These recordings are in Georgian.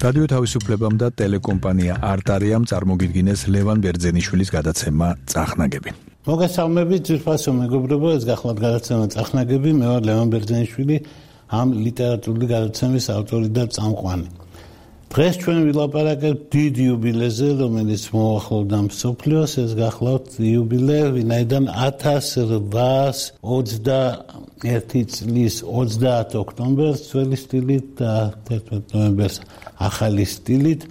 რადიო თავისუფლებამ და ტელეკომპანია არტარიამ წარმოგიდგინეს ლევან ბერძენიშვილის გადაცემა წახნაგები. მოგესალმებით, ძვირფასო მეგობრებო, ეს გახლავთ გადაცემა წახნაგები, მე ვარ ლევან ბერძენიშვილი, ამ ლიტერატურული გადაცემის ავტორი და წამყვანი. დღეს ჩვენ ვილაპარაკებთ დიდ იუბილეზე, რომელიც მოახლოვდა მსოფლიოს, ეს გახლავთ იუბილე, ვინაიდან 1821 წლის 30 ოქტომბერს ძველი სტილით და 11 ნოემბერს ახალი სტილით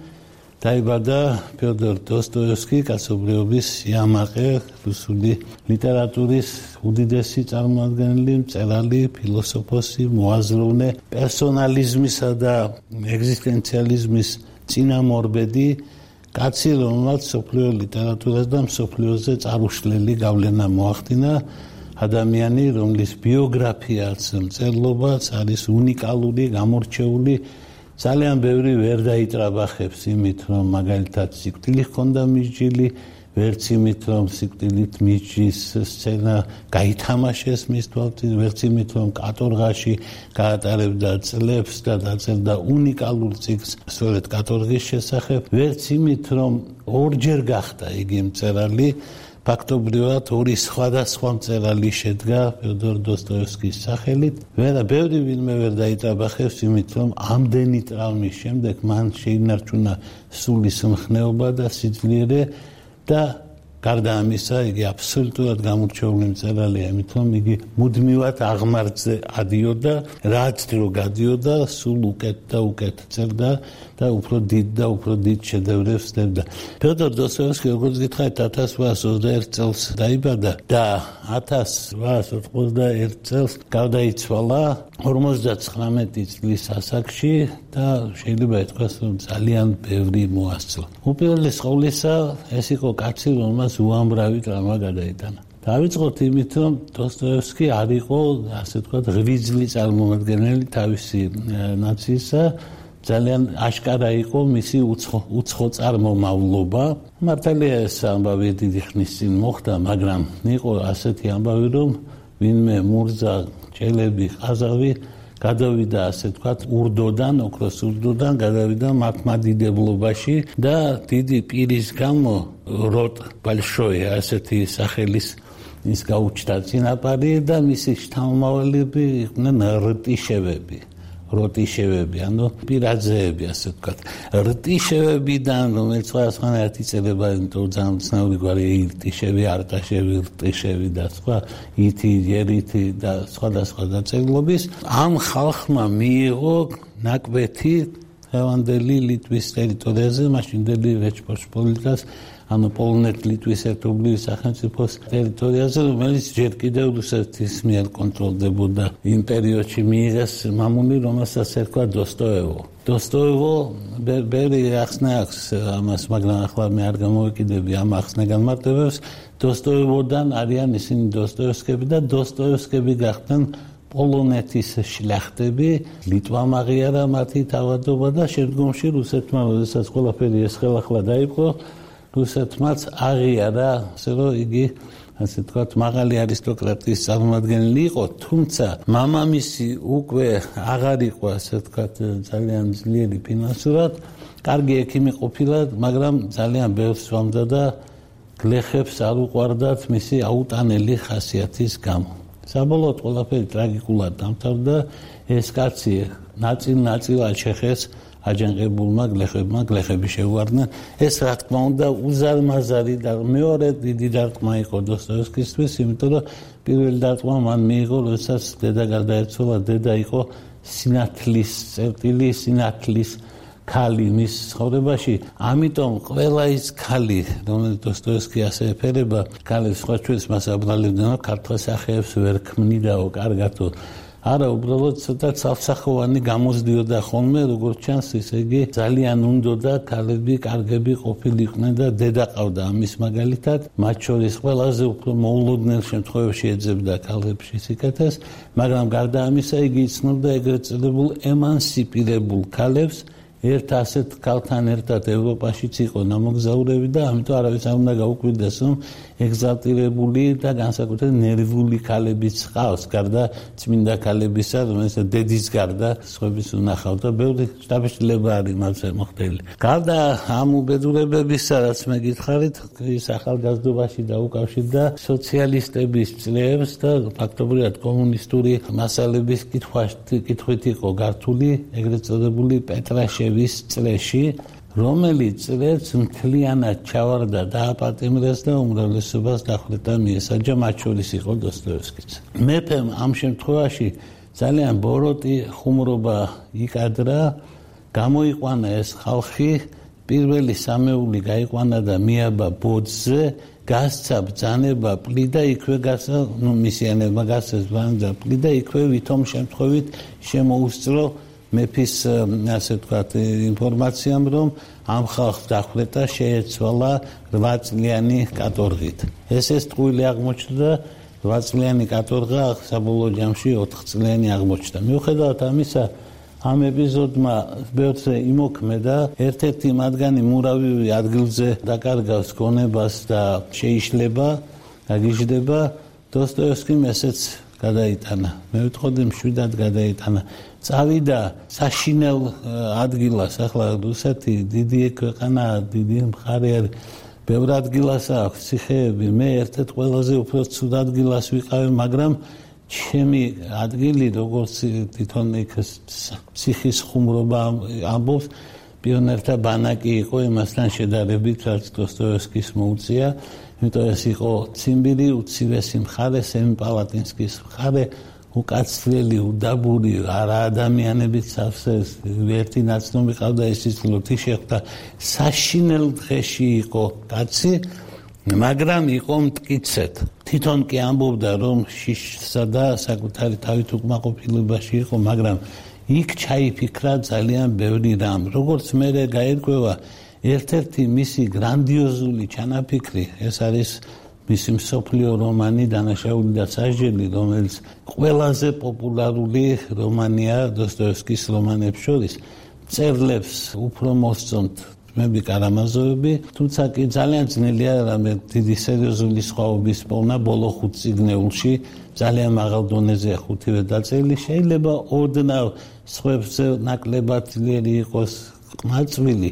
დაიბადა ფიოდორ დოსტოევსკი, კაცობრიობის სიამაყე, რუსული ლიტერატურის უდიდესი წარმომადგენელი, მწერალი, ფილოსოფოსი, მოაზროვნე, პერსონალიზმისა და ეგზისტენციალიზმის წინამორბედი, კაცი, რომელმაც მსოფლიო ლიტერატურას და მსოფლიოზე წარუშლელი გავლენა მოახდინა, ადამიანი, რომლის ბიოგრაფიაც, მწერლობაც არის უნიკალური, გამორჩეული, ძალიან ბევრი ვერ დაიტრაბახებს იმით, რომ მაგალითად სიკვდილი ჰქონდა მისჯილი, ვერც იმით, რომ სიკვდილით მისჯის სცენა გაითამაშეს მის თვალწინ, ვერც იმით, რომ კატორღაში გაატარებდა წლებს და დაწერდა უნიკალურ წიგნს სწორედ კატორღის შესახებ, ვერც იმით, რომ ორჯერ გახდა იგი მწერალი, ფაქტობრივად ორი სხვადასხვა მწერალი შედგა ფიოდორ დოსტოევსკის სახელით. ბევრი ვინმე ვერ დაიტრაბახებს იმით, რომ ამდენი ტრავმის შემდეგ მან შეინარჩუნა სულის მხნეობა და სიძლიერე და გარდა ამისა, იგი აბსოლუტურად გამორჩეული მწერალია, იმით, რომ იგი მუდმივად აღმართზე ადიოდა, რაც დრო გადიოდა, სულ უკეთ და უკეთ წერდა და უფრო დიდ შედევრებს წერდა. ფიოდორ დოსტოევსკი, როგორც გითხარით, 1821 წელს დაიბადა და 1891 წელს გარდაიცვალა 59 წლის ასაკში და შეიძლება ითქვას, რომ ძალიან ბევრი მოასწრო. უპირველეს ყოვლისა, ეს იყო კაცი, რომელმაც უამრავი ტრავმა გადაიტანა. დავიწყოთ იმით, რომ დოსტოევსკი არ იყო, ასე ვთქვათ, ღვიძლი წარმომადგენელი თავისი ნაციისა, ძალიან აშკარა იყო მისი უცხო წარმომავლობა. მართალია ეს ამბავი დიდი ხნის წინ მოხდა, მაგრამ იყო ასეთი ამბავი, რომ ვინმე მურზა, ჭელები, ყაზავი გადავიდა, ასე ვთქვათ, ურდოდან, ოქროს ურდოდან გადავიდა მართლმადიდებლობაში და დიდი პირის გამო როტ ბალშოი, ასეთი სახელის ის გაუჩნდა წინაპარი და მისი შთამომავალები იყვნენ როტიშევები, ანუ პირაძეები, ასე ვთქვათ. რტიშევებიდან, რომელიც სხვადასხვანაირად იწერება, იმიტომ ძალიან ცნობილი გვარი ირტიშევი, არტაშევი, რტიშევი და სხვა, ითი, ერითი და სხვადასხვა დაწერილობის, ამ ხალხმა მიიღო ნაკვეთი დღევანდელი ლიტვის ტერიტორიაზე, მაშინდელი რეჩპოსპოლიტას, ანუ პოლონეთ-ლიტვის ერთობლივი სახელმწიფოს ტერიტორიაზე, რომელიც ჯერ კიდევ რუსეთის მიერ კონტროლდებოდა. იმ პერიოდში მიიღეს მამული, რომელსაც ერქვა დოსტოევო. დოსტოევო ბევრი ახსნა აქვს ამას, მაგრამ ახლა მე არ გამოვიკიდები ამ ახსნა განმარტებებს. დოსტოევოდან არიან ისინი დოსტოევსკები და დოსტოევსკები გახდნენ პოლონეთის შლახტები, ლიტვამ აღიარა მათი თავადობა და შემდგომში რუსეთმა, როდესაც ყველაფერი ეს ხელახლა დაიპყრო, რუსეთმაც აღიარა, ასე რომ იგი, ასე ვთქვათ, მაღალი არისტოკრატიის წარმომადგენელი იყო, თუმცა მამამისი უკვე აღარ იყო, ასე ვთქვათ, ძალიან ძლიერი ფინანსურად, კარგი ექიმი ყოფილა, მაგრამ ძალიან ბევრს სვამდა და გლეხებს არ უყვარდათ მისი აუტანელი ხასიათის გამო. საბოლოოდ ყველაფერი ტრაგიკულად დამთავრდა, ეს კაცი ნაწილ-ნაწილად შეხეს აჯანყებულმა გლეხებმა, გლეხები შეუვარდნენ. ეს რა თქმა უნდა უზარმაზარი და მეორე დიდი დარტყმა იყო დოსტოევსკისთვის, იმიტომ რომ პირველი დარტყმა მან მიიღო, როდესაც დედა გარდაეცვალა, დედა იყო სინათლის ქალი მის ცხოვრებაში. ამიტომ ყველა ის ქალი, რომელიც დოსტოევსკი ასე ეფერება, ქალებს სხვა ჩვენს მას აბრალებდნენ, ქართულ სახეებს ვერ ქმნიდაო კარგათო. არა, უბრალოდ ცოტა ცალსახოვანი გამოსდიოდა ხოლმე, როგორც ჩანს, ისე იგი ძალიან უნდოდა ქალები კარგები ყოფილიყვნენ და დედა ყავდა ამის მაგალითად, მათ შორის ყველაზე უფრო მოულოდნელ შემთხვევებში ეძებდა ქალებში სიკეთეს, მაგრამ გარდა ამისა იგი იცნობდა ეგრეთ წოდებულ ემანსიპირებულ ქალებს, ერთ ასეთ ქალთან ერთად ევროპაშიც იყო ნამოგზაურები და ამიტომ არავის არ უნდა გაუკვირდეს, რომ ეგზალტირებული და განსაკუთრებით ნერვული ქალებიც ყავს, გარდა წმინდა ქალებისა, რომელიც დედის გარდა სხვების უნახავ და ბევრი შთაბეჭდილება არის მასზე მოხდილი. გარდა ამ უბედურებებისა, რაც მე გითხარით, ის ახალგაზრდობაში დაუკავშირდა სოციალისტების წლებს და ფაქტობრივად კომუნისტური მასალების კითხვით იყო გართული ეგრეთ წოდებული პეტრაშევის წლებში, რომელიც წლებს მთლიანად ჩავარდა, დააპატიმრეს და უმრავლესობას დახვრეტა მიესაჯა, მათ შორის იყო დოსტოევსკიც. მეფემ ამ შემთხვევაში ძალიან ბოროტი ხუმრობა იკადრა, გამოიყვანა ეს ხალხი, პირველი სამეული გაიყვანა და მიაბა ბოძზე, გასცა ბრძანება პლიდა, იქვე გასცა, მისიანებმა გასცეს ბრძანება პლიდა, იქვე ვითომ შემთხვევით შემოუსწრო მეფის ასე ვთქვათ ინფორმაციამ, რომ ამ ხალხს დახვრეტა შეეცვალა 8 წლიანი კატორღით. ეს ტყუილი აღმოჩნდა, 8 წლიანი კატორღა საბოლოო ჯამში 4 წლიანი აღმოჩნდა. მიუხედავად ამისა, ამ ეპიზოდმა ბევრზე იმოქმედა, ერთ-ერთი მათგანი მურავი ადგილზე დაკარგავს გონებას და შეიშლება, გაგიჟდება, დოსტოევსკიმ ესეც გადაიტანა. მე ვიტყოდი მშვიდად გადაიტანა. წავიდა საშინელ ადგილას, ახლა რუსეთი დიდი ქვეყანა, დიდი მხარე არის, ბევრ ადგილას აქვს ციხეები, მე ერთ-ერთ ყველაზე უფრო ცუდ ადგილას ვიყავი, მაგრამ ჩემი ადგილი, როგორც თვითონ ციხის ხუმრობა ამბობს, პიონერთა ბანაკი იყო იმასთან შედარებით, რაც დოსტოევსკის მოუწია, იმიტომ ეს იყო ციმბირი, უცივესი მხარე, სემიპალატინსკის მხარე, უკაცრიელი, უდაბური, არა ადამიანებით სავსე, ერთი ნაცნობი ყავდა, ეს იცლოთი შეხვდა, საშინელ დღეში იყო კაცი, მაგრამ იყო მტკიცედ. თვითონ კი ამბობდა, რომ შიშსა და საკუთარი თავით უკმაყოფილებაში იყო, მაგრამ იქ ჩაიფიქრა ძალიან ბევრი რამ. როგორც მე გაერკვევა, ერთ-ერთი მისი გრანდიოზული ჩანაფიქრი, ეს არის მისი მსოფლიო რომანი „დანაშაული და სასჯელი“, რომელიც ყველაზე პოპულარული რომანია დოსტოევსკის რომანებს შორის. წერლებს უფრო მოსწონთ მები კარამაზოვები, თუმცა კი ძალიან ძნელია რამე დიდი სერიოზული სხვაობის პოვნა ბოლო 5 წიგნეულში, ძალიან მაღალ დონეზეა 5-ვე დაწერილი, შეიძლება ოდნავ სხვებზე ნაკლებად ძლიერი იყოს ყმაწვილი.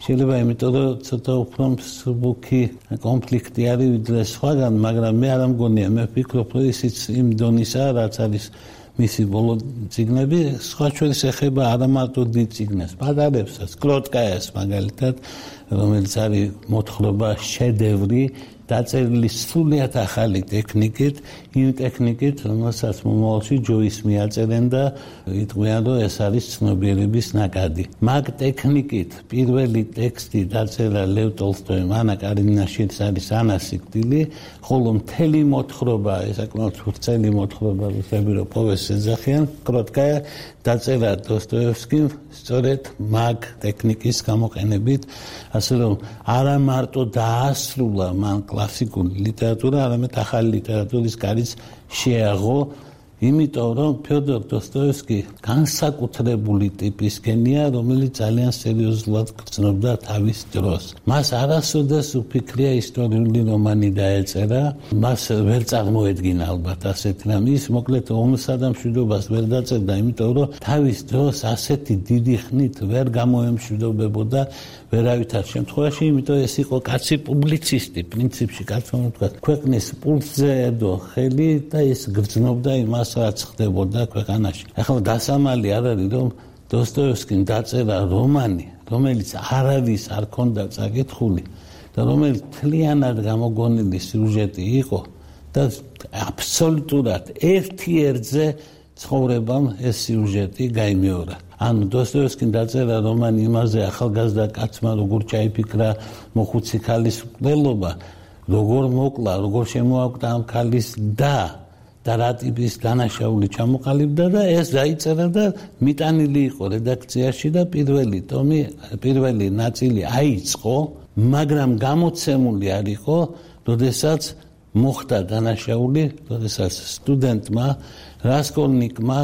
შეიძლება იმიტომ, რომ ცოტა უფრო მსუბუქი კონფლიქტი არის ვიდრე სხვაგან, მაგრამ მე არ მგონია, მე ვფიქრობ, რომ ისიც იმ დონისაა, რაც არის მისი ბოლო წიგნები, სხვა შორის ეხება არა მარტო დიდ წიგნებს, პატარებსაც, კროტკაიას მაგალითად, რომელიც არის მოთხრობა შედევრი, დაწერილი სრულიად ახალი ტექნიკით, იმ ტექნიკით, რომელსაც მომავალში ჯოის მიაწერენ და იტყვიან, რომ ეს არის ცნობიერების ნაკადი. მაგ ტექნიკით პირველი ტექსტი დაწერა ლევ ტოლსტოიმ, ანა კარინინაშიც არის ანა სიკვდილი, ხოლო მთელი მოთხრობა, საკმაოდ ვრცელი მოთხრობა, რუსები პოვესს ეძახიან, კროტკაია დაწერა დოსტოევსკიმ სწორედ მაგ ტექნიკის გამოყენებით, ასე რომ არა მარტო დაასრულა მან კლასიკური ლიტერატურა, არამედ ახალი ლიტერატურის კარიც შეაღო, იმიტომ რომ ფიოდორ დოსტოევსკი განსაკუთრებული ტიპის გენია, რომელიც ძალიან სერიოზულად გრძნობდა თავის დროს. მას არასოდეს უფიქრია ისტორიული რომანი დაეწერა, მას ვერ წარმოედგინა ალბათ ასეთი რამ. ის მოკლედ ომსა და მშვიდობას ვერ დაწერდა, იმიტომ რომ თავის დროს ასეთი დიდი ხნით ვერ გამოემშვიდობებოდა ვერავითარ შემთხვევაში, იმიტომ ეს იყო კაცი პუბლიცისტი, პრინციპში კაცმა თქვა, ქვეყნის პულსზე ედო ხელი და ის გრძნობდა იმას, რაც ხდებოდა ქვეყანაში. ახლა დასამალი არ არის, რომ დოსტოევსკიმ დაწერა რომანი, რომელიც არავის არ ქონდა წაკითხული და რომელიც მთლიანად გამოგონილი სიუჟეტი იყო და აბსოლუტურად ერთ-ერთზე ცხოვრებამ ეს სიუჟეტი გაიმეორა. ანუ დოსტოევსკიმ დაწერა რომანი იმაზე ახალგაზრდა კაცმა როგორ ჩაიფიქრა მოხუცი ქალის მკვლელობა, როგორ მოკლა, როგორ შემოაკვდა ამ ქალის და რა ტიპის დანაშაული ჩამოყალიბდა და ეს დაიწერა და მიტანილი იყო რედაქციაში და პირველი ნაწილი აიწყო, მაგრამ გამოცემული არ იყო, როდესაც მოხდა დანაშაული, როდესაც სტუდენტმა რასკოლნიკმა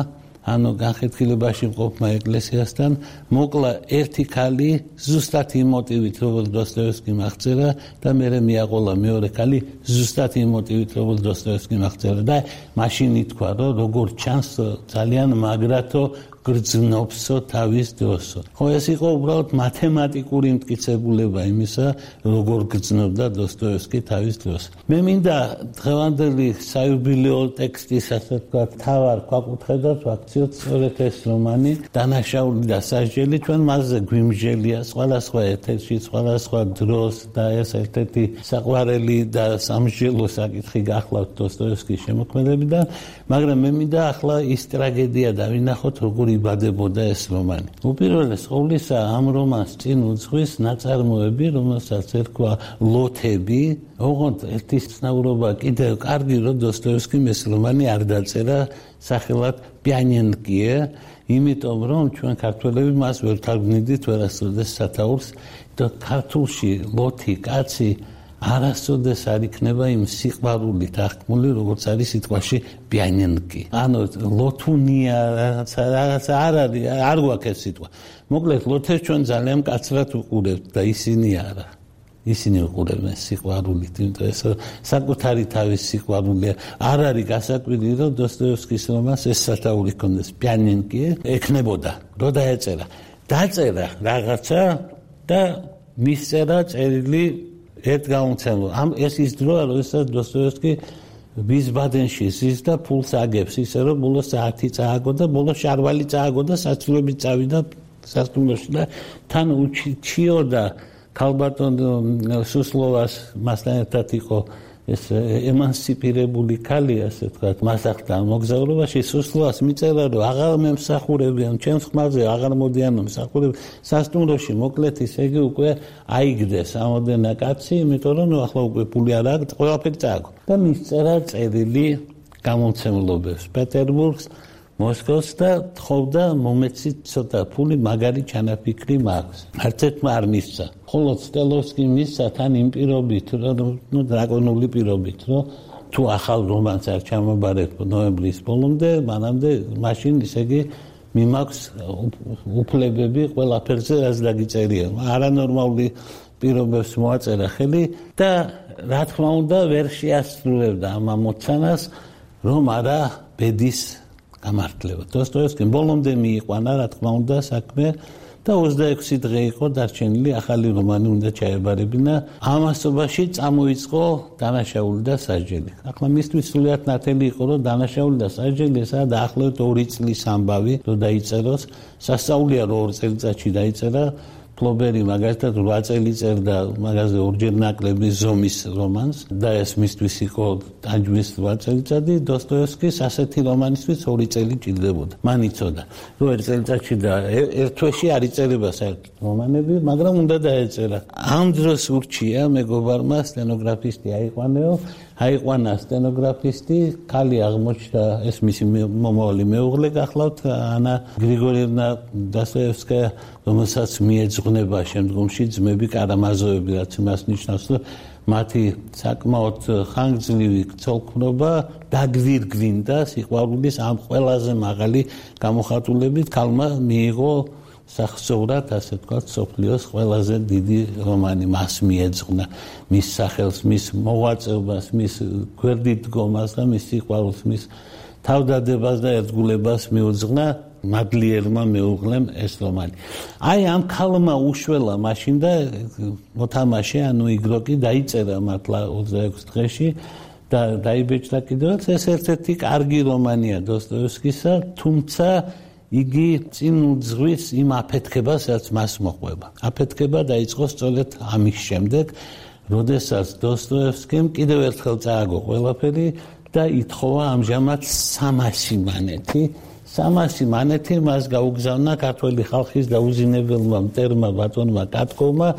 ანუ განხეთქილებაში მყოფმა ეკლესიასთან მოკლა ერთი ქალი ზუსტად იმ მოტივით, როგორც დოსტოევსკიმ აღწერა და მერე მიაყოლა მეორე ქალი ზუსტად იმ მოტივით, როგორც დოსტოევსკიმ აღწერა და მაშინ ითქვა, რომ როგორც ჩანს ძალიან მაგრათო გრძნობსო თავის დროსო. ხო ეს იყო უბრალოდ მათემატიკური მტკიცებულება იმისა, როგორ გრძნობდა დოსტოევსკი თავის დროს. მე მინდა დღევანდელი საიუბილეო ტექსტის, ასე ვთქვათ, თავარ გვაკუთხედოთ, ვაქციოთ სწორედ ეს რომანი, დანაშაული და სასჯელი, ჩვენ მასზე გვიმსჯელია სხვადასხვა ეთერში, სხვადასხვა დროს და ეს ერთ-ერთი საყვარელი და სამსჯელო საკითხი გახლავთ დოსტოევსკის შემოქმედებიდან, მაგრამ მე მინდა ახლა ის ტრაგედია დავინახოთ, როგორ იბადებოდა ეს რომანი. უპირველეს ყოვლისა ამ რომანს წინ უძღვის ნაწარმოები, რომელსაც ერქვა ლოთები. ოღონდ ერთი ცნაურობა კიდევ კარგი, რომ დოსტოევსკიმ ეს რომანი არ დაწერა სახელად პიანინკიე, იმიტომ რომ ჩვენ ქართველები მას ვერ თარგმნიდით ვერასოდეს სათაურს და ქართულში ლოთი კაცი არასოდეს არ იქნება იმ სიყვარულით აღქმული, როგორც არის სიტყვაში პიანინკი. ანუ ლოთუნია რაღაცა არ არის, არ გვაქვს ეს სიტყვა. მოკლედ ლოთებს ჩვენ ძალიან მკაცრად უყურებთ და ისინი არა. ისინი უყურებენ სიყვარულით, იმიტომ ეს საკუთარი თავის სიყვარულია. არ არის გასაკვირი, რომ დოსტოევსკის რომანს ეს სათაური ჰქონდეს პიანინკი, ექნებოდა, რომ დაეწერა. დაწერა რაღაცა და მისწერა წერილი ერთ გამომცემლო. ეს ის დროა, როდესაც დოსტოევსკი ვიზბადენში ზის და ფულს აგებს, ისე რომ ბოლოს საათი წააგო და ბოლოს შარვალი წააგო და საცურებით წავიდა სასტუმროში და თან უჩიოდა ქალბატონ სუსლოვას მასთან ერთად იყო ეს ემანსიპირებული ქალი, ასე ვთქვათ, მასახთან მოგზაურობაში სუსლოვას მიწერა, რომ აღარ მემსახურებიან, ჩემს ხმაზე აღარ მოდიან მომსახურებ სასტუმროში, მოკლედ ისე იგი უკვე აიგდეს ამოდენა კაცი, იმიტომ რომ ახლა უკვე ფული არ აქვს, ყველაფერი წააგო. და მისწერა წერილი გამომცემლობებს პეტერბურგს, მოსკოვს და თხოვდა მომეცით ცოტა ფული, მაგარი ჩანაფიქრი მაქვს. არც ერთმა არ მისცა. ხოლო სტელოვსკი მისცა თან იმ პირობით, რომ დრაკონული პირობით, რომ თუ ახალ რომანს არ ჩამაბარებ ნოემბრის ბოლომდე, მანამდე მაშინ ისე იგი მიმაქვს უფლებები ყველაფერზე, რაც დაგიწერია. არანორმალური პირობებს მოაწერა ხელი და რა თქმა უნდა ვერ შეასრულებდა ამ ამოცანას, რომ არა ბედის გამართლება. დოსტოევსკიმ ბოლომდე მიიყვანა, რა თქმა უნდა, საქმე და 26 დღე იყო დარჩენილი ახალი რომანი უნდა ჩაებარებინა. ამასობაში წამოიწყო დანაშაული და სასჯელი. ახლა მისთვის სულიად ნათელი იყო, რომ დანაშაული და სასჯელი ესაა დაახლოებით 2 წლის ამბავი, რომ დაიწეროს. სასწაულია რომ 2 წელიწადში დაიწერა. ფლობერი მაგალითად 8 წელი წერდა მაგაზე ორჯერ ნაკლები ზომის რომანს და ეს მისთვის იყო ტანჯვის 8 წელიწადი. დოსტოევსკის ასეთი რომანისთვის 2 წელი ჭირდებოდა. მან იცოდა, რომ 1 წელიწადში და ერთ თვეში არ იწერება საერთოდ რომანები, მაგრამ უნდა დაეწერა. ამ დროს ურჩია მეგობარმა სტენოგრაფისტი აიყვანა სტენოგრაფისტი, ქალი აღმოჩნდა, ეს მისი მომავალი მეუღლე გახლავთ, ანა გრიგორიევნა დოსტოევსკაია, რომელსაც მიეძღვნება შემდგომში ძმები კარამაზოვები, რაც იმას ნიშნავს, რომ მათი საკმაოდ ხანგრძლივი ცოლქმრობა დაგვირგვინდა სიყვარულის ამ ყველაზე მაღალი გამოხატულებით. ქალმა მიიღო სახსოვრად, ასე ვთქვათ, სოფლიოს ყველაზე დიდი რომანი, მას მიეძღვნა მის სახელს, მის მოღვაწეობას, მის გვერდით დგომას და მის სიყვარულს, მის თავდადებას და ერთგულებას მიუძღვნა მადლიერმა მეუღლემ ეს რომანი. აი ამ ქალმა უშველა მაშინ და მოთამაშე, ანუ იგროკი დაიწერა მართლა 26 დღეში და დაიბეჭდა კიდევაც. ეს ერთ-ერთი კარგი რომანია დოსტოევსკისა, თუმცა იგი წინ უძღვის იმ აფეთქებას, რაც მას მოყვება. აფეთქება დაიწყო სწორედ ამის შემდეგ, როდესაც დოსტოევსკიმ კიდევ ერთხელ წააგო ყველაფერი და ითხოვა ამჟამად 300 მანეთი. 300 მანეთი მას გაუგზავნა ქართველი ხალხის დაუზინებელმა მტერმა ბატონმა კატკოვმა,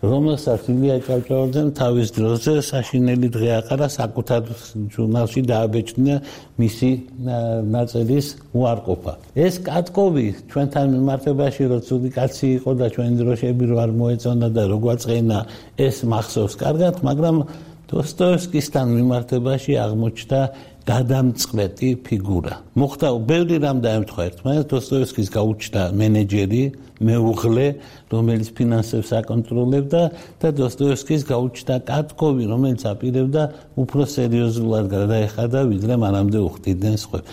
რომელსაც ილია ჭავჭავაძემ თავის დროზე საშინელი დღე აყარა, საკუთარ ჟურნალში დააბეჭდნა მისი ნაწელის უარყოფა. ეს კატკოვი ჩვენთან მიმართებაში რო ცუდი კაცი იყო და ჩვენი დროშები რო არ მოეწონა და რო გვაწყენა, ეს მახსოვს კარგად, მაგრამ დოსტოევსკისთან მიმართებაში აღმოჩნდა გადამწყვეტი ფიგურა. მოხდა ბევრი რამ დაემთხვა ერთმანეთს, დოსტოევსკის გაუჩნდა მენეჯერი, მეუღლე, რომელიც ფინანსებს აკონტროლებდა და დოსტოევსკის გაუჩნდა კატკოვი, რომელიც აპირებდა უფრო სერიოზულად გადაეხადა, ვიდრე მანამდე უხდიდნენ სხვებს.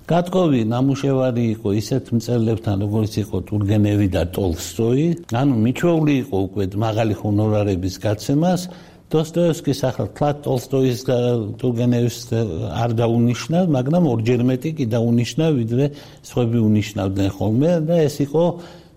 კატკოვი ნამუშევარი იყო ისეთ მწერლებთან, როგორც იყო ტურგენევი და ტოლსტოი, ანუ მიჩვეული იყო უკვე მაღალი ჰონორარების გაცემას. დოსტოევსკის ახლა თლად ტოლსტოის და ტურგენევის არ დაუნიშნა, მაგრამ ორჯერ მეტი კი დაუნიშნა, ვიდრე სხვები უნიშნავდნენ ხოლმე და ეს იყო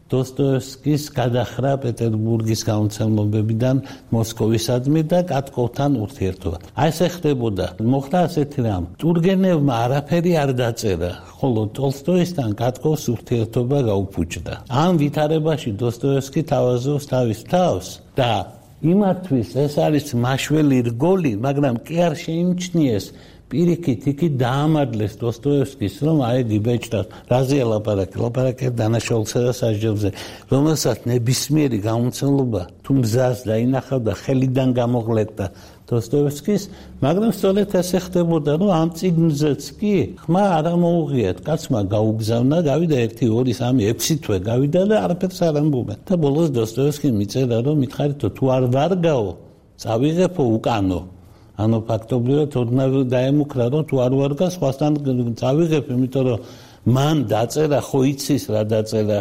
დოსტოევსკის გადახრა პეტერბურგის გამომცემლებებიდან მოსკოვისადმი და კატკოვთან ურთიერთობა. აი ესე ხდებოდა. მოხდა ასეთი რამ. ტურგენევმა არაფერი არ დაწერა, ხოლო ტოლსტოისთან კატკოვს ურთიერთობა გაუფუჭდა. ამ ვითარებაში დოსტოევსკი თავაზობს თავის თავს და იმათთვის ეს არის მაშველი რგოლი, მაგრამ კი არ შეიმჩნიეს პირიქით იქით დაამარლეს დოსტოევსკის, რომ აი გიბეჭდათ, რაზეა ლაპარაკი დანაშაულსა და სასჯელზე, რომელსაც ნებისმიერი გამომცემლობა თუ მზას დაინახავდა, ხელიდან გამოღლეტდა დოსტოევსკის, მაგრამ სწორედ ესე ხდებოდა, რომ ამ წიგნზეც კი ხმა არ მოუღიათ, კაცმა გაუგზავნა, გავიდა 1, 2, 3, 6 თვე გავიდა და არაფერს არ ამბობენ. და ბოლოს დოსტოევსკიმ მიწერა, რომ მითხარითო თუ არ ვარგაო, წავიღებო უკანო. ანუ ფაქტობრივად ოდნავ დაემუქრა, რომ თუ არ ვარგა, სხვასთან წავიღებ, იმიტომ რომ მან დაწერა, ხო იცის რა დაწერა,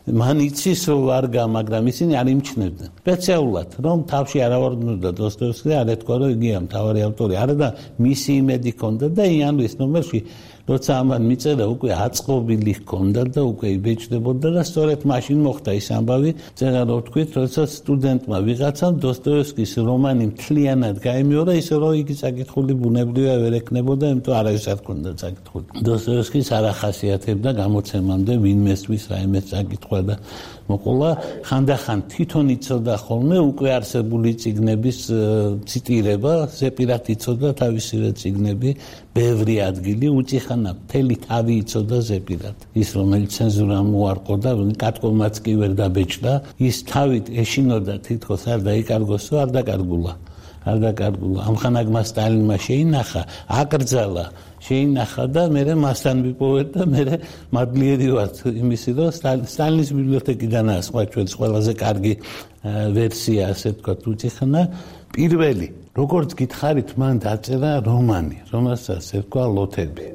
მან იცის რომ ვარგა, მაგრამ ისინი არ იმჩნევდნენ. სპეციალურად, რომ თავში არ ავარდნოდა დოსტოევსკი, არ ეთქვა, რომ იგია მთავარი ავტორი, არა და მისი იმედი ჰქონდა და იანვრის ნომერში როცა ამან მიწერა, უკვე აწყობილი ჰქონდა და უკვე იბეჭდებოდა და სწორედ მაშინ მოხდა ის ამბავი, წერა რო ვთქვით, როცა სტუდენტმა ვიღაცამ დოსტოევსკის რომანი მთლიანად გაემიორა, ისე რომ იგი საკითხული ბუნებრივია ვერ ექნებოდა, იმიტომ არავის არ ჰქონდა საკითხული. დოსტოევსკის არ ახასიათებდა გამოცემამდე ვინმესთვის რაიმე საკითხვა და მოყოლა, ხანდახან თვითონ იცოდა ხოლმე უკვე არსებული წიგნების ციტირება, ზეპირად იცოდა თავისივე წიგნები, ბევრი ადგილი უწიხანა მთელი თავი იცოდა ზეპირად. ის რომელიც ცენზურამ უარყო და კატკოვმაც კი ვერ დაბეჭდა, ის თავით ეშინოდა თითქოს არ დაიკარგოსო, არ დაკარგულა. ამხანაგმა სტალინმა შეინახა, აკრძალა, შეინახა და მერე მასთან ვიპოვეთ და მერე მადლიერი ვართ იმისი, რომ სტალინის ბიბლიოთეკიდანაა სხვა ჩვენს ყველაზე კარგი ვერსია, ასე ვთქვათ, უწიხანა. პირველი, როგორც გითხარით, მან დაწერა რომანი, რომელსაც ერქვა ლოთები.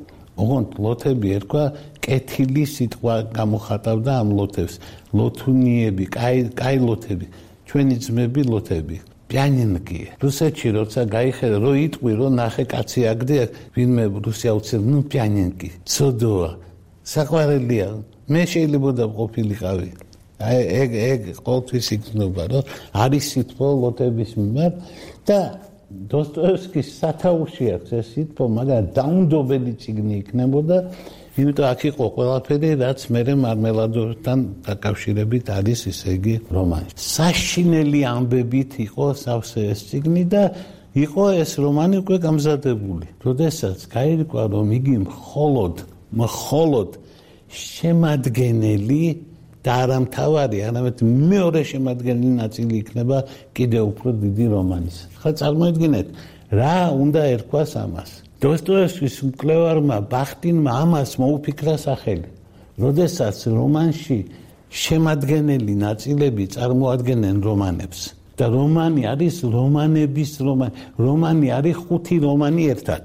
ოღონდ ლოთები ერქვა, კეთილი სიტყვა გამოხატავდა ამ ლოთებს. ლოთუნიები, კაი ლოთები, ჩვენი ძმები ლოთები. პიანინკი. რუსეთში როცა გაიხედა, რო იტყვი, რო ნახე კაცი აგდია, ვინმე რუსი აუცილებლად, ნუ პიანინკი. ცოდოა. საყვარელია. მე შეიძლება ყოფილიყავი. ეგ ყოველთვის იქნება, რომ არის სიტყვა ლოთების მიმართ და დოსტოევსკის სათავეში აქვს ეს სიტყვა, მაგრამ დაუნდობელი წიგნი იქნებოდა, იმიტომ აქ იყო ყველაფერი, რაც მერე მარმელადოვთან დაკავშირებით არის, ისე იგი რომანი. საშინელი ამბებით იყო სავსე ეს წიგნი და იყო ეს რომანი უკვე გამზადებული. როდესაც გაირკვა, რომ იგი მხოლოდ შემადგენელი და არა მთავარი, არამედ მეორე შემადგენელი ნაწილი იქნება კიდევ უფრო დიდი რომანის. ხა წარმოიდგინეთ, რა უნდა ერქვას ამას. დოსტოევსკის მკვლევარმა ბახტინმა ამას მოუფიქრა სახელი. როდესაც რომანში შემადგენელი ნაწილები წარმოადგენენ რომანებს და რომანი არის რომანების რომანი. რომანი არის 5 რომანი ერთად.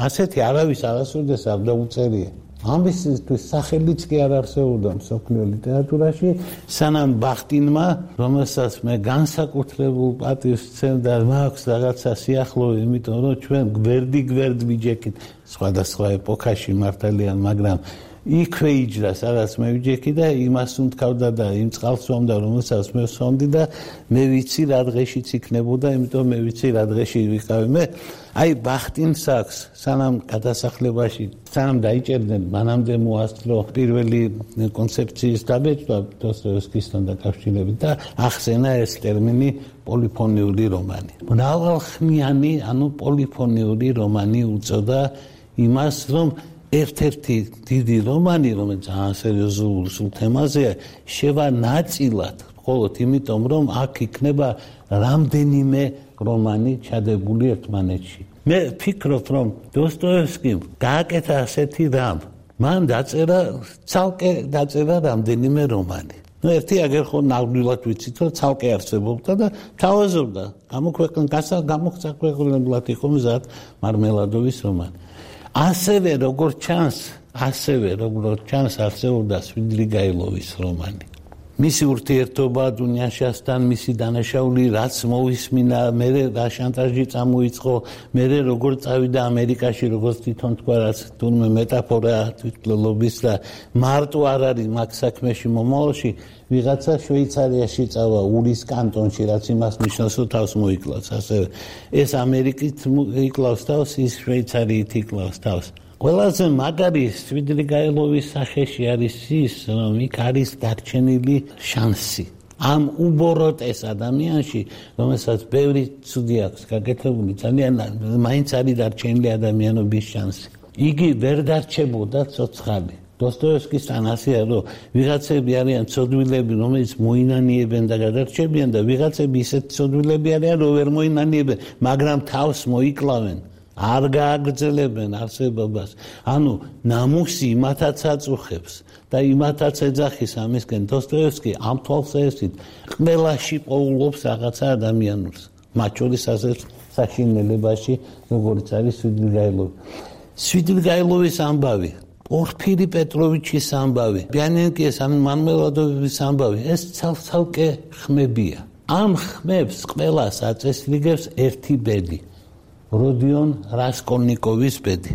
ასეთი არავის არასოდეს არ დაუწერია. ამისთვის სახელიც კი არ არსებობდა მსოფლიო ლიტერატურაში, სანამ ბახტინმა, რომელსაც მე განსაკუთრებულ პატივს ვცემდა, მაქვს რაღაცა სიახლოვე, იმიტომ რომ ჩვენ გვერდ ვიჯექით სხვადასხვა ეპოქაში მართალიან, მაგრამ იქვე იჯდა, სადაც მე ვიჯექი და იმას უმტკავდა და იმ წყალს ვამდა, რომელსაც მე ვსვამდი და მე ვიცი რა დღეშიც იქნებოდა, იმიტომ მე ვიცი რა დღეში ვიყავი მე. აი ბახტინს აქვს, სანამ გადასახლებაში, სანამ დაიჭერდნენ, მანამდე მოასწრო პირველი კონცეფციის დაბეჭდა დოსტოევსკისთან დაკავშირებით და ახსენა ეს ტერმინი პოლიფონიური რომანი. მრავალხმიანი, ანუ პოლიფონიური რომანი უწოდა იმას, რომ ერთ-ერთი დიდი რომანი, რომელიც ძალიან სერიოზულ თემაზეა, შევა ნაწილად, მხოლოდ იმიტომ, რომ აქ იქნება რამდენიმე რომანი ჩადებული ერთმანეთში. მე ვფიქრობ, რომ დოსტოევსკიმ გააკეთა ასეთი რამ. მან ცალკე დაწერა რამდენიმე რომანი. ერთი აგერ ხო ნამდვილად ვიცით, რომ ცალკე არსებობდა და თავაზობდა. გამოქვეყნებლად იყო მზად მარმელადოვის რომანი. ასევე როგორც ჩანს არსებობდა სვიდრიგაილოვის რომანი. მისი ურთიერთობა დუნიაშასთან, მისი დანაშაული რაც მოვისმინა, მე რა შანტაჟი წამოიწყო, მე როგორ წავიდა ამერიკაში, როგორც თვითონ თქვა, რაც თურმე მეტაფორაა თვითმკვლელობის და მარტო არ არის მაგ საქმეში მომავალში, ვიღაცა შვეიცარიაში წავა, ურის კანტონში, რაც იმას ნიშნავს, რომ თავს მოიკლავს, ასევე ეს ამერიკით იკლავს თავს, ის შვეიცარიით იკლავს თავს. ყველაზე მაგარი სვიდრიგაილოვის სახეში არის ის, რომ იქ არის დარჩენილი შანსი. ამ უბოროტეს ადამიანში, რომელსაც ბევრი ცუდი აქვს გაკეთებული, ძალიან მაინც არის დარჩენილი ადამიანობის შანსი. იგი ვერ დარჩებოდა ცოცხალი. დოსტოევსკისთან ასეა, რომ ვიღაცები არიან ცოდვილები, რომელიც მოინანიებენ და გადარჩებიან და ვიღაცები ისეთ ცოდვილები არიან, რომ ვერ მოინანიებენ, მაგრამ თავს მოიკლავენ. არ გააგრძელებენ არსებობას. ანუ ნამუსი იმათაც აწუხებს და იმათაც ეძახის ამისკენ. დოსტოევსკი ამ თვალსაზრისით ყველაში პოულობს რაღაცა ადამიანურს. მათ შორის ასეთ საშინელებაში, როგორც არის სვიდრიგაილოვი. სვიდრიგაილოვის ამბავი, პორფირი პეტროვიჩის ამბავი, ბიანენკის მარმელადოვის ამბავი, ეს ცალკე ხმებია. ამ ხმებს ყველას აწესრიგებს ერთი ბედი. როდიონ რასკოლნიკოვის ბედი.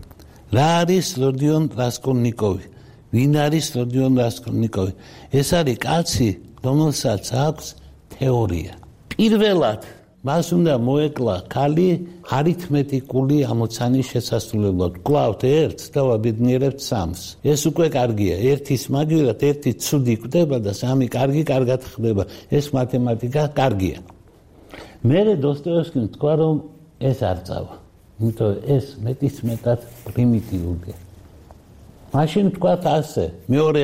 რა არის როდიონ რასკოლნიკოვი? ვინ არის როდიონ რასკოლნიკოვი? ეს არის კაცი, რომელსაც აქვს თეორია. პირველად მას უნდა მოეკლა ქალი არითმეტიკული ამოცანის შესასრულებლად. ვკლავთ ერთს და ვაბედნიერებთ სამს. ეს უკვე კარგია. ერთის მაგივრად ერთი ცუდი კვდება და სამი კარგად ხდება. ეს მათემატიკა კარგია. მერე დოსტოევსკიმ თქვა, რომ ეს არ წავა. იმიტომ ეს მეტად პრიმიტიულია. მაშინ თქვათ ასე, მეორე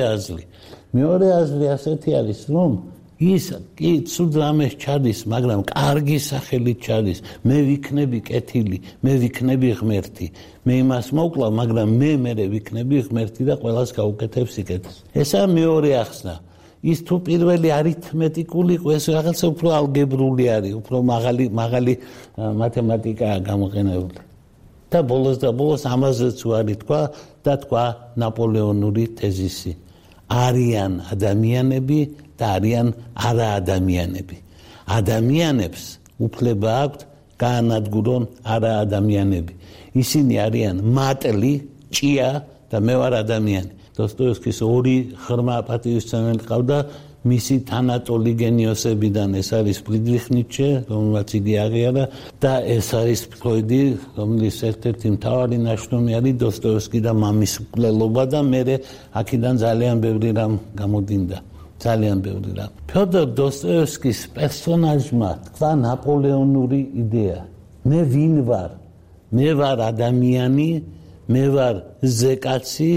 აზრი ასეთი არის, რომ ის კი ცუდ რამეს ჩადის, მაგრამ კარგი სახელით ჩადის. მე ვიქნები კეთილი, მე ვიქნები ღმერთი. მე იმას მოვკლავ, მაგრამ მე ვიქნები ღმერთი და ყველას გაუკეთებ სიკეთეს. ესაა მეორე ახსნა. ის თუ პირველი არითმეტიკული იყო, ეს რაღაცა უფრო ალგებრული არის, უფრო მაღალი მათემატიკაა გამოყენებული. და ბოლოს ამაზეც უარი თქვა და თქვა ნაპოლეონური თეზისი. არიან ადამიანები და არიან არაადამიანები. ადამიანებს უფლება აქვთ გაანადგურონ არაადამიანები. ისინი არიან მატლი, ჭია და მე ვარ ადამიანი. დოსტოევსკის ორი ღრმა პატივისცემელი ყავდა მისი თანატოლი გენიოსებიდან. ეს არის ფრიდრიხ ნიცშე, რომელმაც იგი აღიარა და ეს არის ფროიდი, რომლის ერთ-ერთი მთავარი ნაშრომი არის დოსტოევსკი და მამის მკვლელობა და მე აქედან ძალიან ბევრი რამ გამოდინდა. ძალიან ბევრი რამ. ფიოდორ დოსტოევსკის პერსონაჟმა თქვა ნაპოლეონური იდეა. მე ვინ ვარ? მე ვარ ადამიანი, მე ვარ ზეკაცი,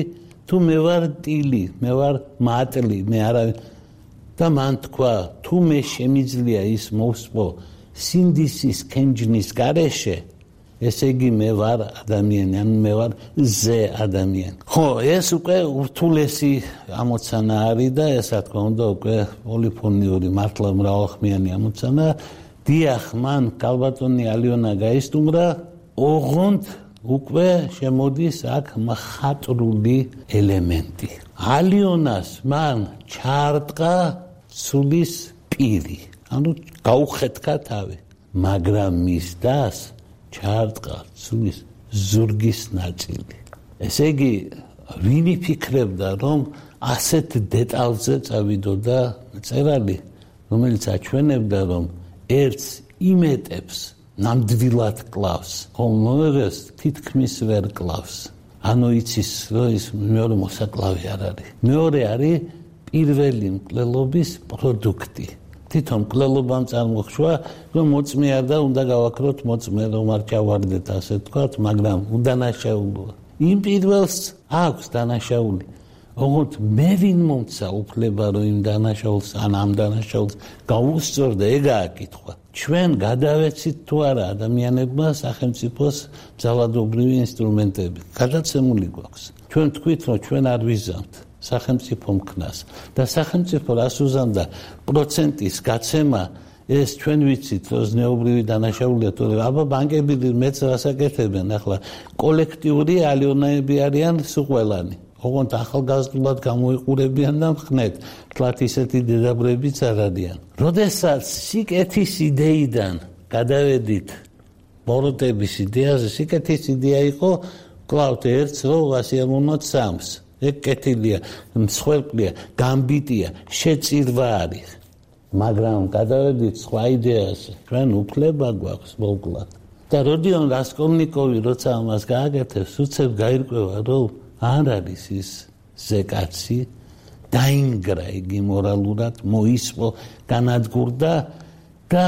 თუ მე ვარ ტილი, მე ვარ მატლი, მე არა. და მან თქვა, თუ მე შემიძლია ის მოვსპო სინდისის კენჯნის გარეშე, ესე იგი მე ვარ ადამიანი, ან მე ვარ ზე ადამიანი. ხო, ეს უკვე ურთულესი ამოცანა არის და ეს რა თქმა უნდა უკვე პოლიფონიური, მართლა მრავალხმიანი ამოცანა. დიახ, მან კალბატონი ალიონა გაისტუმრა, ოღონდ უკვე შემოდის აქ მხატვრული ელემენტი. ალიონას მან ჩაარტყა ცულის პირი, ანუ გაუხეთქა თავი, მაგრამ მის დას ჩაარტყა ცულის ზურგის ნაწილი. ესე იგი, ვინ იფიქრებდა, რომ ასეთ დეტალზე წავიდოდა მწერალი, რომელიც აჩვენებდა, რომ ერთს იმეტებს ნამდვილად კლავს, ხოლმე თითქმის ვერ კლავს. ანუ იცის, რომ ის მეორე მოსაკლავი არ არის. მეორე არის პირველი მკვლელობის პროდუქტი. თვითონ მკვლელობამ წარმოხშვა, რომ მოწმეარ და უნდა გავაქროთ მოწმე, რომ არ ჩავარდეთ, ასე თქვათ, მაგრამ უდანაშაულოა. იმ პირველს აქვს დანაშაული. ოღონდ მე ვინ მომცა უფლება, რომ იმ დანაშაულს ან ამ დანაშაულს გაუსწორდა, ეგაა კითხვა. ჩვენ გადავეცით თუ არა ადამიანებმა სახელმწიფოს ძალადობრივი ინსტრუმენტები. გადაცემული გვაქვს. ჩვენ თქვით, რომ ჩვენ არ ვიზამთ სახელმწიფო მქნას და სახელმწიფო რას უზამდა პროცენტის გაცემა ეს ჩვენ ვიცით, რომ ზნეობრივი დანაშაულია, თორე აბა ბანკები მეც რასაკეთებენ ახლა კოლექტიური ალიონები არიან სუყველანი. ოღონდ ახალგაზრდულად გამოიყურებიან და მხნეთ, თლათ ისეთი დედაბრებიც არ არიან. როდესაც სიკეთის იდეიდან გადავედით ბოროტების იდეაზე, სიკეთის იდეა იყო კლავთ ერთს, რომ ასიამოვნოთ სამს. ეგ კეთილია, მსხვერპლია, გამბიტია, შეწირვა არის. მაგრამ გადავედით სხვა იდეაზე, ჩვენ უფლება გვაქვს მოკლედ. და როდიონ რასკოლნიკოვი როცა ამას გააკეთებს, უცებ გაირკვევა, რომ არ არის ის ზეკაცი, დაინგრა იგი მორალურად, მოისპო, განადგურდა და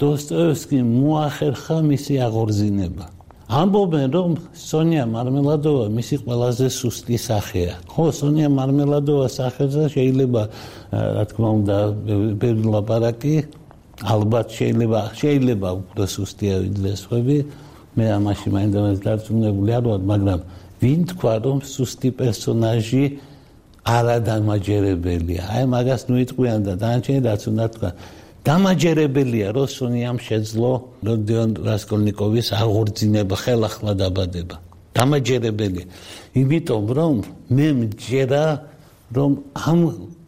დოსტოევსკიმ მოახერხა მისი აღორძინება. ამბობენ, რომ სონია მარმელადოვა მისი ყველაზე სუსტი სახეა. ხო, სონია მარმელადოვას სახელზე შეიძლება, რა თქმა უნდა, ბევრი ლაპარაკი, ალბათ შეიძლება უფრო სუსტია ვიდრე სხვები. მე ამაში მაინც დარწმუნებული არ ვარ, მაგრამ ვინ თქვა, რომ სუსტი პერსონაჟი არადამაჯერებელია. აი მაგას ნუ იტყვიან და დანარჩენი რაც უნდა თქვა. დამაჯერებელია, რომ სონიამ შეძლო როდიონ რასკოლნიკოვის აღორძინება, ხელახლა დაბადება. დამაჯერებელია. იმიტომ რომ მე მჯერა, რომ ამ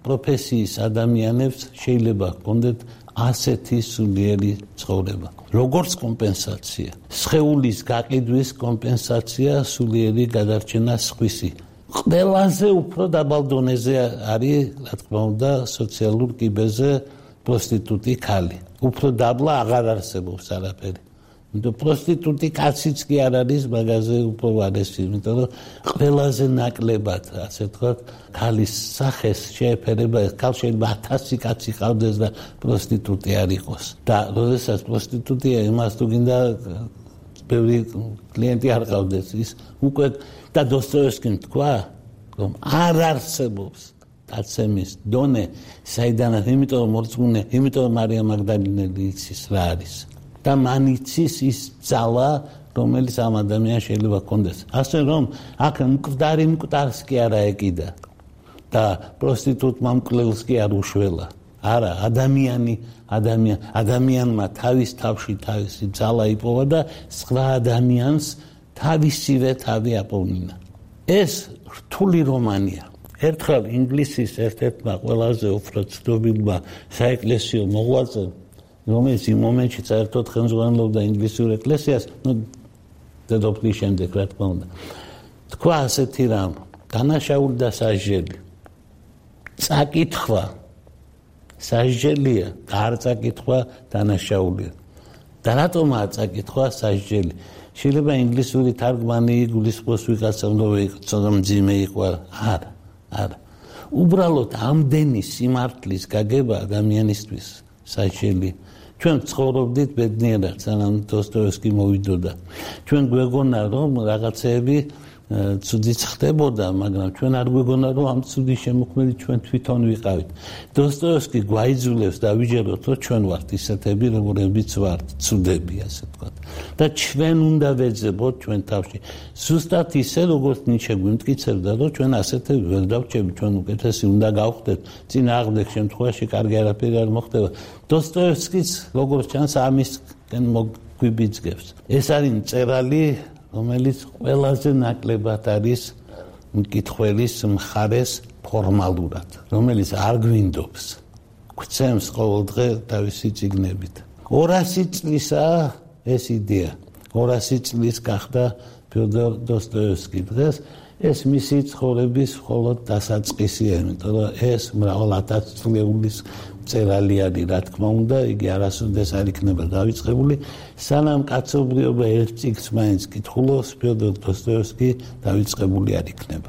პროფესიის ადამიანებს შეიძლება ჰქონდეთ ასეთი სულიერი ცხოვრება. როგორც კომპენსაცია, სხეულის გაყიდვის კომპენსაცია, სულიერი გადარჩენა სხვისი. ყველაზე უფრო დაბალ დონეზე არის, რა თქმა უნდა, სოციალურ კიბეზე პროსტიტუტი ქალი. უფრო დაბლა აღარ არსებობს არაფერი. იმიტომ პროსტიტუტი კაციც კი არ არის მაგაზე უფრო ვარესი, იმიტომ რომ ყველაზე ნაკლებად, ასე ვთქვათ, ქალის სახეს შეეფერება, ქალ შეიძლება 1000 კაცი ყავდეს და პროსტიტუტი არ იყოს. და როდესაც პროსტიტუტია, იმას თუ გინდა ბევრი კლიენტი არ ყავდეს, ის უკვე და დოსტოევსკიმ თქვა, რომ არ არსებობს დაცემის დონე, საიდანაც, იმიტომ რომ მორწმუნე, იმიტომ რომ მარია მაგდალინელი იცის რა არის. და მან იცის ის ძალა, რომელიც ამ ადამიანს შეიძლება ჰქონდეს. ასე რომ აქ მკვდარი მკვდარს კი არა ეკიდა და პროსტიტუტმა მკვლელს კი არ უშველა. არა, ადამიანმა თავის თავში თავისი ძალა იპოვა და სხვა ადამიანს თავისივე თავი აპოვნინა. ეს რთული რომანია. ერთხელ ინგლისის ერთ-ერთმა ყველაზე უფრო ცნობილმა საეკლესიო მოღვაწემ, რომელიც იმ მომენტში საერთოდ ხელმძღვანელობდა ინგლისურ ეკლესიას, დედოფლის შემდეგ, რა თქმა უნდა, თქვა ასეთი რამ, დანაშაული და სასჯელი. წაკითხვა სასჯელია, არ წაკითხვა დანაშაულია. და რატომაა წაკითხვა სასჯელი? შეიძლება ინგლისური თარგმანი გულისხმობს ვიღაცამ, რომ ცოტა მძიმე იყო, არა. არა. უბრალოდ ამდენი სიმართლის გაგება ადამიანისთვის სასჯელი. ჩვენ ცხოვრობდით ბედნიერად, სანამ დოსტოევსკი მოვიდოდა. ჩვენ გვეგონა, რომ რაღაცეები ცუდიც ხდებოდა, მაგრამ ჩვენ არ გვეგონა, რომ ამ ცუდის შემოქმედი ჩვენ თვითონ ვიყავით. დოსტოევსკი გვაიძულებს დავიჯეროთ, რომ ჩვენ ვართ ისეთები, როგორებიც ვართ, ცუდები, ასე ვთქვათ. და ჩვენ უნდა ვეძებოთ ჩვენ თავში. ზუსტად ისე, როგორც ნიჩე გვიმტკიცებდა, რომ ჩვენ ასეთები ვერ დავჭებით, ჩვენ უკეთესი უნდა გავხდეთ. წინააღმდეგ შემთხვევაში კარგი არაფერი არ მოხდება. დოსტოევსკიც, როგორც ჩანს, ამისკენ მოგვიბიძგებს. ეს არის მწერალი, რომელიც ყველაზე ნაკლებად არის მკითხველის მხარეს ფორმალურად, რომელიც არ გვინდობს, გვცემს ყოველდღე თავისი წიგნებით. 200 წლისაა ეს იდეა. 200 წლის გახდა ფიოდორ დოსტოევსკი დღეს. ეს მისი ცხოვრების მხოლოდ დასაწყისია, იმიტომ რომ ეს მრავალ ათასწლეულის მწერალი არის, რა თქმა უნდა, იგი არასოდეს არ იქნება დავიწყებული, სანამ კაცობრიობა ერთ წიგნს მაინც კითხულობს, ფიოდორ დოსტოევსკი დავიწყებული არ იქნება.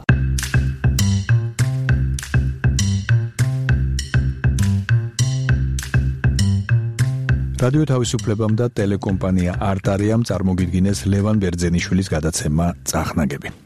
რადიო თავისუფლებამ და ტელეკომპანია არტარიამ წარმოგიდგინეს ლევან ბერძენიშვილის გადაცემა წახნაგები.